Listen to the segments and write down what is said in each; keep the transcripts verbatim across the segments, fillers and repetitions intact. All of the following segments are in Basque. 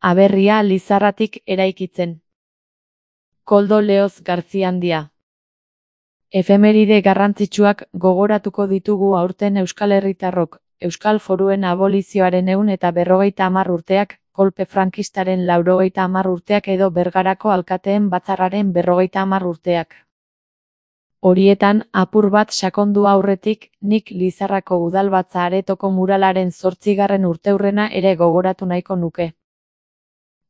Aberria Lizarratik eraikitzen. Koldo Leoz Garziandia. Efemeride garrantzitsuak gogoratuko ditugu aurten euskal herritarrok, euskal foruen abolizioaren ehun eta berrogeita hamar urteak, kolpe frankistaren laurogeita hamar urteak edo Bergarako alkateen batzarraren berrogeita hamar urteak. Horietan, apur bat sakondu aurretik, nik Lizarrako udalbatza aretoko muralaren zortzigarren urteurrena ere gogoratu nahiko nuke.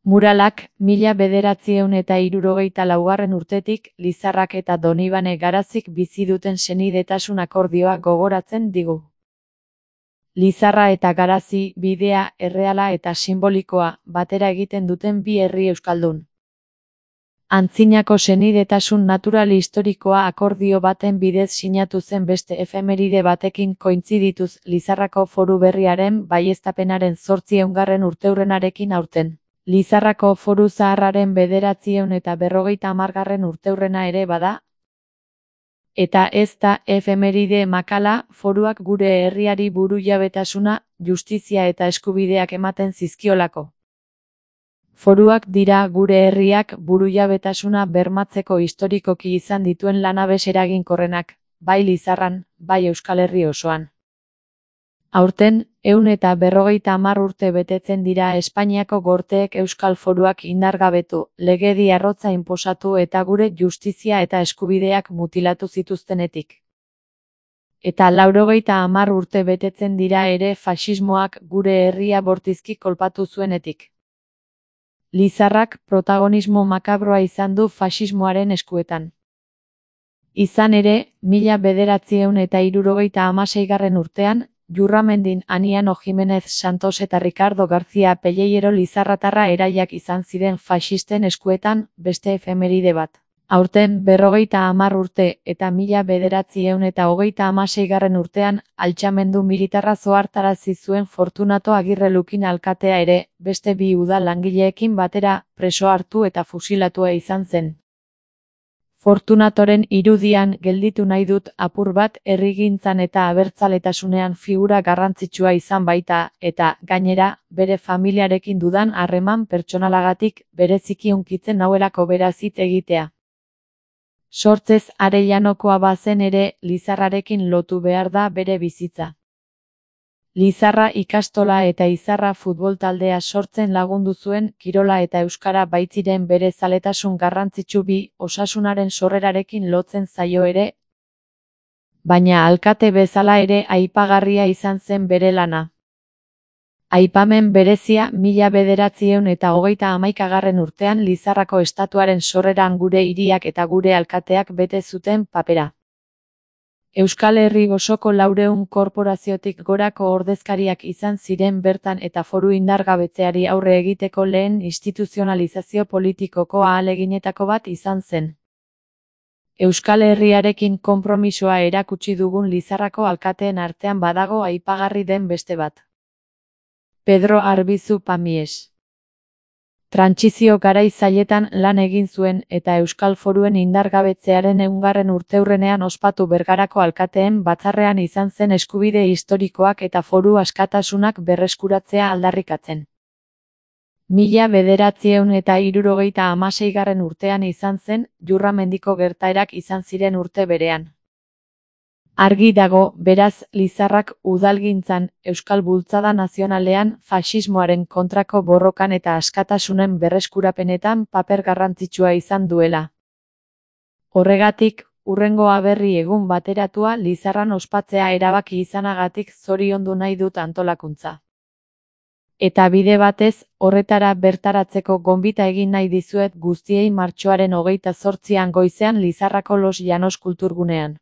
Muralak, mila bederatziehun eta hirurogeita laugarren urtetik, Lizarrak eta Donibane Garazik bizi duten senidetasun akordioa gogoratzen digu. Lizarra eta Garazi, bidea, erreala eta simbolikoa, batera egiten duten bi herri euskaldun. Antzinako senidetasun natural historikoa akordio baten bidez sinatu zen beste efemeride batekin kointzidituz Lizarrako foru berriaren baieztapenaren zortziehungarren urteurrenarekin aurten. Lizarrako foru zaharraren bederatziehun eta berrogeita hamargarren urteurrena ere bada. Eta ez da efemeride makala, foruak gure herriari burujabetasuna, justizia eta eskubideak ematen zizkiolako. Foruak dira gure herriak burujabetasuna bermatzeko historikoki izan dituen lanabes eraginkorrenak, bai Lizarran, bai Euskal Herri osoan. Aurten, ehun eta berrogeita hamar urte betetzen dira Espainiako gorteek euskal foruak indargabetu, legedi arrotza inposatu eta gure justizia eta eskubideak mutilatu zituztenetik. Eta laurogeita hamar urte betetzen dira ere faxismoak gure herria bortizki kolpatu zuenetik. Lizarrak protagonismo makabroa izan du faxismoaren eskuetan. Izan ere, mila bederatziehun eta hirurogeita hamaseigarren urtean, Jurramendin Aniano Jimenez Santos eta Ricardo García Pelleiro Lizarratarra eraiak izan ziren faxisten eskuetan, beste efemeride bat. Aurten berrogeita hamar urte eta mila bederatziehun eta hogeita hamaseigarren urtean, altxamendu militarra zohartarazi zuen Fortunato Agirre Lukin alkatea ere, beste bi udal langileekin batera, preso hartu eta fusilatua izan zen. Fortunatoren irudian gelditu nahi dut apur bat herrigintzan eta abertzaletasunean figura garrantzitsua izan baita, eta, gainera, bere familiarekin dudan harreman pertsonalagatik bereziki hunkitzen nauelako beraz hitz egitea. Sortzez Arellanokoa bazen ere, Lizarrarekin lotu behar da bere bizitza. Lizarra ikastola eta Izarra futbol taldea sortzen lagundu zuen, kirola eta euskara baitziren bere zaletasun garrantzitsu bi, osasunaren sorrerarekin lotzen zaio ere. Baina alkate bezala ere aipagarria izan zen bere lana. Aipamen berezia mila bederatziehun eta hogeita hamaikagarren urtean Lizarrako estatuaren sorreran gure hiriak eta gure alkateak bete zuten papera. Euskal Herri osoko laurehun korporaziotik gorako ordezkariak izan ziren bertan eta foru indargabetzeari aurre egiteko lehen instituzionalizazio politikoko ahaleginetako bat izan zen. Euskal Herriarekin konpromisoa erakutsi dugun Lizarrako alkateen artean badago aipagarri den beste bat. Pedro Arbizu Pamies. Trantsizio garai zailetan lan egin zuen eta Euskal Foruen indargabetzearen ehungarren urteurrenean ospatu Bergarako alkateen batzarrean izan zen eskubide historikoak eta foru askatasunak berreskuratzea aldarrikatzen. Mila bederatziehun eta hirurogeita hamaseigarren urtean izan zen, Jurramendiko gertaerak izan ziren urte berean. Argi dago, beraz, Lizarrak udalgintzan, Euskal Bultzada Nazionalean, faxismoaren kontrako borrokan eta askatasunen berreskurapenetan paper garrantzitsua izan duela. Horregatik, hurrengo aberri egun bateratua Lizarran ospatzea erabaki izanagatik zoriondu nahi dut antolakuntza. Eta bide batez, horretara bertaratzeko gonbita egin nahi dizuet guztiei martxoaren hogeita zortzian goizean Lizarrako Los Llanos kulturgunean.